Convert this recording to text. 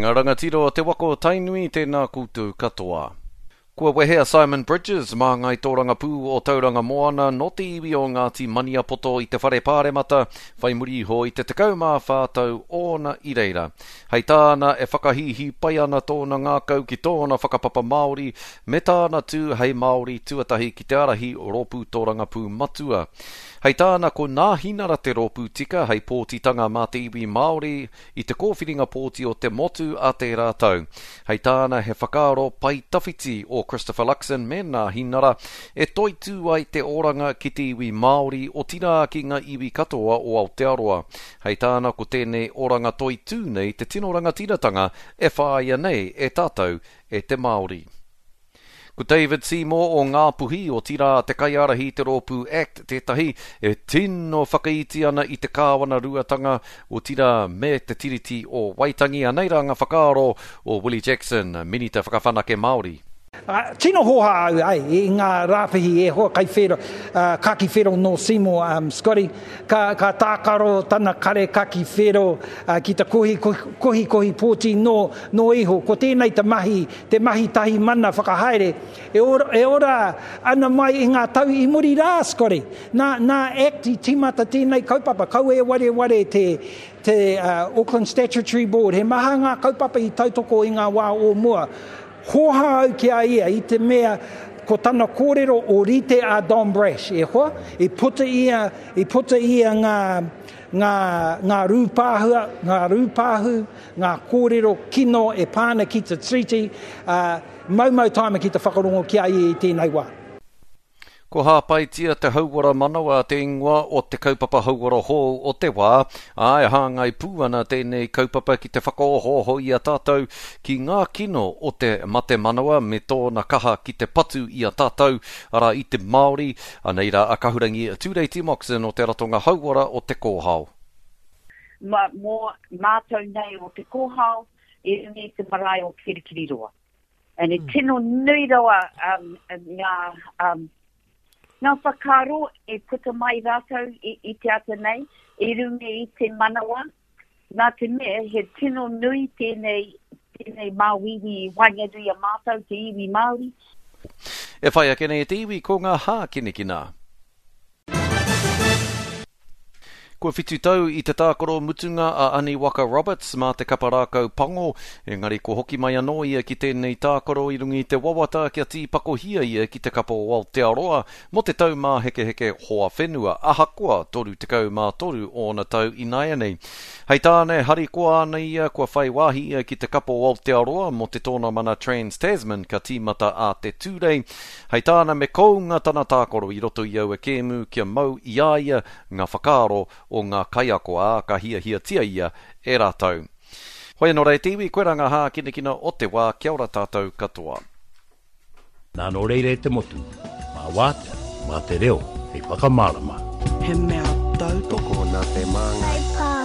Ngā rangatira o te waka o Tainui, tēnā koutou katoa. Kua wehe a Simon Bridges, māngai tōrangapū o Tauranga Moana, nō te iwi o Ngāti Maniapoto i te Whare Pāremata, whai muri iho i te 14 tau ōna i reira. Hei tāna, e whakahīhī pai ana tōna ngākau ki tōna whakapapa Māori me tāna tū hei Māori tuatahi ki te ārahi rōpū tōrangapū matua. Hei tāna, ko Nāhinara te rōpū tika hei pōtitanga mā te iwi Māori, i te kōwhiringa pōti o te motu a tērā tau. Hei tāna he whakaaro pae tawhiti o Christopher Luxon me Nāhinara e toitū ai te oranga ki te iwi Māori, otirā ki ngā iwi katoa o Aotearoa. Hei tāna ko tēnei oranga toitū nei te tino rangatiratanga e whāia nei e tātou e te Māori. Ko David Seymour o Ngāpuhi, otirā te kaiārahi i te rōpū act tētahi e tino whakaiti ana i te kāwanaruatanga, otirā me te Tiriti o Waitangi. Anei rā ngā whakaaro o Willie Jackson, Minita Whakawhanake Māori. Tino hōhā au ai i ngā rāpihi e hoa kai whero, kaki whero nō Seymour, Scotty, ka, ka tākaro tana kare kaki whero ki te kohi, kohikohi pōti nō, nō iho. Ko tēnei te mahi te mahi tahi mana whakahaere e ora, e ora ana mai i ngā tau i muri rā, Scotty. Nā, nā Act i tīmata tēnei kaupapa, kaua e wareware te, te uh, Auckland Statutory Board, he maha ngā kaupapa i tautoko i ngā wā o mua. Hōhā au ki a ia i te mea ko tana kōrero o rite a Don Brash, e hoa, i puta ia, i puta ia ngā, ngā, ngā rūpāhua, ngā rūpāhu, ngā kōrero kino e pā ana ki te Tiriti, ā, maumau tāna ki te whakarongo ki a ia i tēnei wā. Ko Hāpaitia te Hauora Manawa te ingoa o te kaupapa hauora hou o te wā, ā, e hāngai pū ana tēnei kaupapa ki te whakaohooho i a tātou ki ngā kino o te mate manawa me tōna kaha ki te patu i a tātou, arā, i te Māori. Anei rā a Kahurangi Tureiti Moxon o te Ratonga Hauora o Te Kōhao. Ma, mō mātou nei o Te Kōhao i runga i te marae o Kirikiriroa. And e tino nui rawa um, ngā, um, ngā whakaaro e puta mai rātou i, i te ata nei, i runga i te manawa, nā te mea he tino nui tēnei, tēnei māuiui i waenganui a mātou, te iwi Māori. E whai ake nei e te iwi ko ngā hākinakina. Kua whitu tau i te tākaro mutunga a Ani Waka Roberts mā te kapa rākau pango, engari kua hoki mai anō ia ki tēnei tākaro i runga i te wawata kia tīpakohia ia ki te kapa o Aotearoa mō te Taumāhekeheke Hoa Whenua, ahakoa 33 ōna tau ināianei. Hei tāna e harikoa ana ia kua whai wāhi ia ki te kapa o Aotearoa mō te tōnamana Trans-Tasman ka tīmata ā te Tūrei, Hei tāna me kounga tana tākaro i roto i aua kēmu kia mau i a ia ngā whakaaro o ngā kaiako, ā, ka hiahiatia ia e rātou. Hoi anō rā e te iwi, koirā ngā hākinakina o te wā, kia ora tātou katoa. Nā nō reira e te motu, mā wātea, mā te reo hei whakamārama. He mea tautoko. Tokona te māngai.